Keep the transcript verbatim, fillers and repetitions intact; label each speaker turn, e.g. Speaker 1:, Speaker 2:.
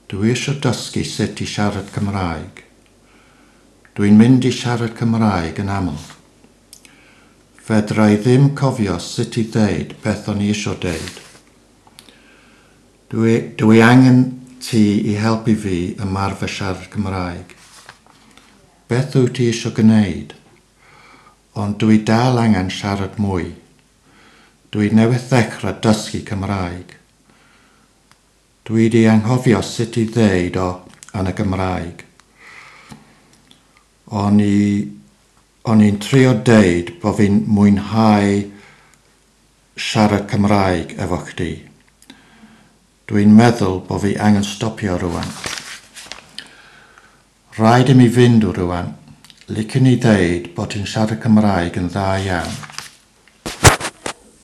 Speaker 1: Dwi eisiau dysgu sut i siarad Cymraeg. Dwi'n mynd i siarad Cymraeg yn aml. Fedra i ddim cofio sut i ddeud beth o'n i eisiau deud. Dwi, dwi angen ti i helpu fi ymarfer siarad Cymraeg. Beth wyt ti eisiau gwneud? Ond dwi dal angen siarad mwy. Dwi newydd ddechrau dysgu Cymraeg. Dwi 'di anghofio sut i ddeud o yn y Gymraeg. O'n i o'n i'n trio deud bo fi'n mwynhau siarad Cymraeg efo chdi. Dwi'n meddwl bo fi angen stopio rwan. Rhaid i mi fynd rwan. Licen i ddeud bod ti'n siarad Cymraeg yn dda iawn.